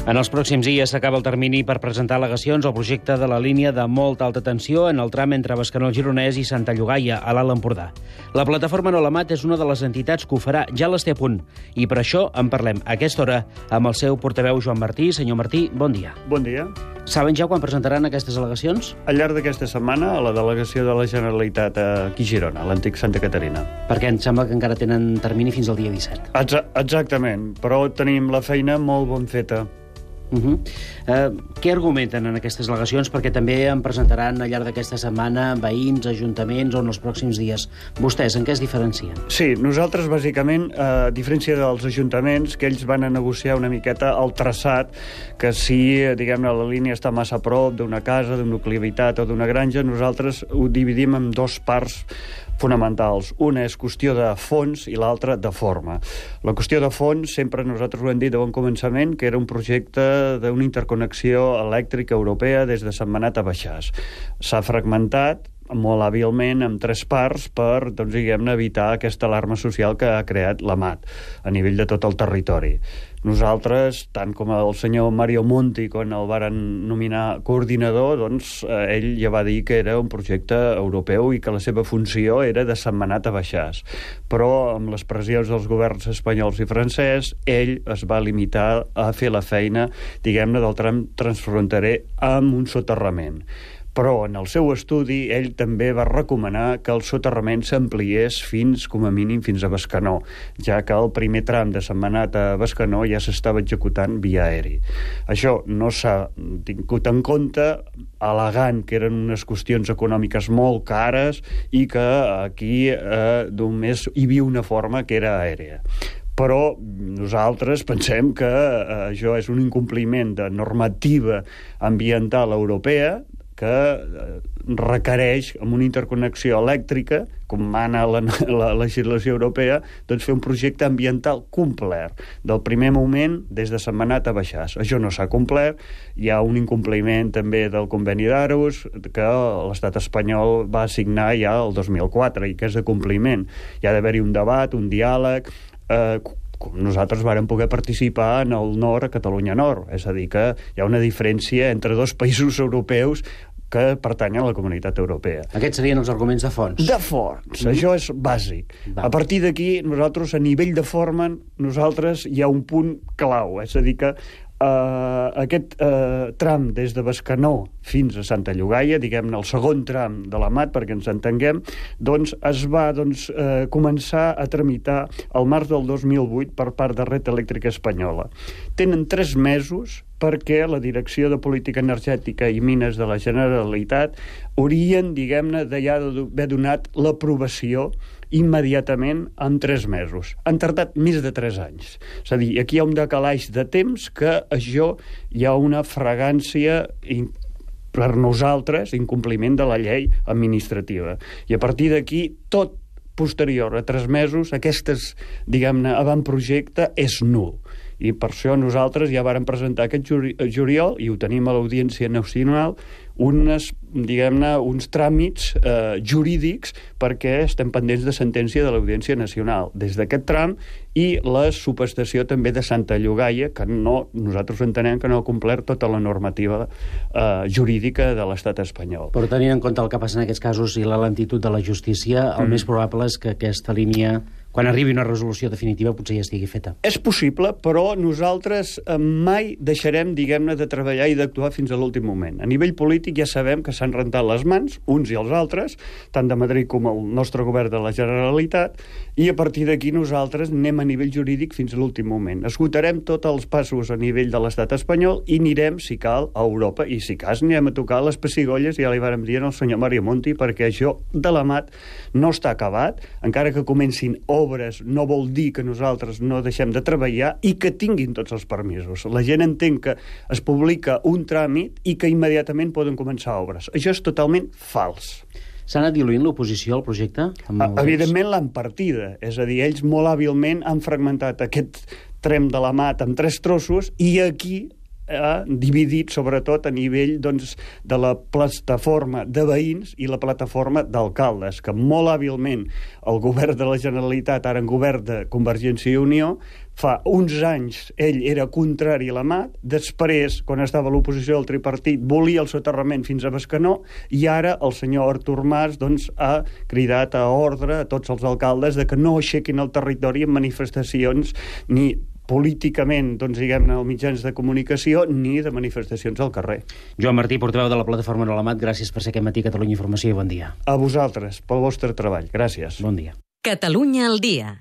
En els pròxims dies s'acaba el termini per presentar al·legacions al projecte de la línia de molta alta tensió en el tram entre Bescanó el Gironès i Santa Llogaia, a l'Alt Empordà. La plataforma No la Mat és una de les entitats que ho farà, ja les té a punt. I per això en parlem a aquesta hora amb el seu portaveu Joan Martí. Senyor Martí, bon dia. Bon dia. Saben ja quan presentaran aquestes al·legacions? Al llarg d'aquesta setmana, a la delegació de la Generalitat aquí a Girona, a l'antic Santa Caterina. Perquè em sembla que encara tenen termini fins al dia 17. Exactament, però tenim la feina molt ben feta. Què argumenten en aquestes al·legacions? Perquè també en presentaran al llarg d'aquesta setmana veïns, ajuntaments o en els pròxims dies. Vostès, en què es diferencien? Sí, nosaltres, bàsicament, a diferència dels ajuntaments, que ells van a negociar una miqueta el traçat, que si, diguem-ne, la línia està massa a prop d'una casa, d'una nucli habitat o d'una granja, nosaltres ho dividim en dos parts fonamentals. Una és qüestió de fons i l'altra de forma. La qüestió de fons, sempre nosaltres ho hem dit de bon començament, que era un projecte d'una interconnexió elèctrica europea des de Sentmenat a Baixàs. S'ha fragmentat molt hàbilment en tres parts per, doncs, diguem-ne, evitar aquesta alarma social que ha creat la MAT a nivell de tot el territori. Nosaltres, tant com el senyor Mario Monti, quan el varen nominar coordinador, doncs ell ja va dir que era un projecte europeu i que la seva funció era de Sentmenat a Baixàs. Però amb les pressions dels governs espanyols i francès, ell es va limitar a fer la feina, diguem-ne, del tram transfronterer amb un soterrament. Però en el seu estudi ell també va recomanar que el soterrament s'ampliés fins, com a mínim, fins a Bescanó, ja que el primer tram de Sentmenat a Bescanó ja s'estava executant via aeri. Això no s'ha tingut en compte, al·legant que eren unes qüestions econòmiques molt cares i que aquí només hi havia una forma que era aèria. Però nosaltres pensem que això és un incompliment de normativa ambiental europea que requereix, amb una interconnexió elèctrica, com mana la legislació europea, doncs fer un projecte ambiental complet, del primer moment des de Sentmenat a Baixàs. Això no s'ha complert, hi ha un incompliment també del conveni d'Aarhus, que l'estat espanyol va signar ja el 2004, i que és de compliment. Hi ha d'haver-hi un debat, un diàleg, nosaltres vàrem poder participar en el nord, a Catalunya Nord, és a dir, que hi ha una diferència entre dos països europeus que pertanyen a la comunitat europea. Aquests serien els arguments de fons. De fons, això és bàsic. A partir d'aquí, nosaltres, a nivell de forma, nosaltres hi ha un punt clau, és a dir que aquest tram des de Bescanó fins a Santa Llogaia, diguem-ne el segon tram de la MAT, perquè ens entenguem, doncs es va començar a tramitar al març del 2008 per part de Red Elèctrica Espanyola. Tenen 3 mesos perquè la Direcció de Política Energètica i Mines de la Generalitat haurien, diguem-ne, d'haver donat l'aprovació immediatament en 3 mesos. Han tardat més de 3 anys. És a dir, aquí hi ha un decalaix de temps que això hi ha una fragància per nosaltres, incompliment de la llei administrativa. I a partir d'aquí, tot posterior a 3 mesos, aquestes, diguem-ne, avantprojecte és nul. I per això nosaltres ja vàrem presentar aquest juliol, i ho tenim a l'Audiència Nacional, uns tràmits jurídics perquè estem pendents de sentència de l'Audiència Nacional des d'aquest tram i la subestació també de Santa Llogaia, que nosaltres entenem que no ha complert tota la normativa jurídica de l'estat espanyol. Però tenint en compte el que passa en aquests casos i la lentitud de la justícia, el més probable és que aquesta línia, quan arribi una resolució definitiva, potser ja estigui feta. És possible, però nosaltres mai deixarem, diguem-ne, de treballar i d'actuar fins a l'últim moment. A nivell polític ja sabem que s'han rentat les mans, uns i els altres, tant de Madrid com el nostre govern de la Generalitat, i a partir d'aquí nosaltres anem a nivell jurídic fins a l'últim moment. Esgotarem tots els passos a nivell de l'estat espanyol i anirem, si cal, a Europa, i si cas anirem a tocar les pessigolles, ja li vàrem dir al senyor Mario Monti, perquè això de la MAT no està acabat, encara que comencin obres no vol dir que nosaltres no deixem de treballar i que tinguin tots els permisos. La gent entén que es publica un tràmit i que immediatament poden començar obres. Això és totalment fals. S'ha anat diluint l'oposició al projecte? Evidentment l'han partida, és a dir, ells molt hàbilment han fragmentat aquest tram de la MAT en 3 trossos i aquí dividit sobretot a nivell doncs, de la plataforma de veïns i la plataforma d'alcaldes, que molt hàbilment el govern de la Generalitat, ara en govern de Convergència i Unió, fa uns anys ell era contrari a la MAT, després, quan estava a l'oposició del tripartit, volia el soterrament fins a Bescanó, i ara el senyor Artur Mas doncs, ha cridat a ordre a tots els alcaldes de que no aixequin el territori en manifestacions ni políticament, doncs, diguem-ne, als mitjans de comunicació, ni de manifestacions al carrer. Joan Martí, portaveu de la plataforma No a la Mat, gràcies per ser aquest matí a Catalunya Informació i bon dia. A vosaltres, pel vostre treball. Gràcies. Bon dia. Catalunya al dia.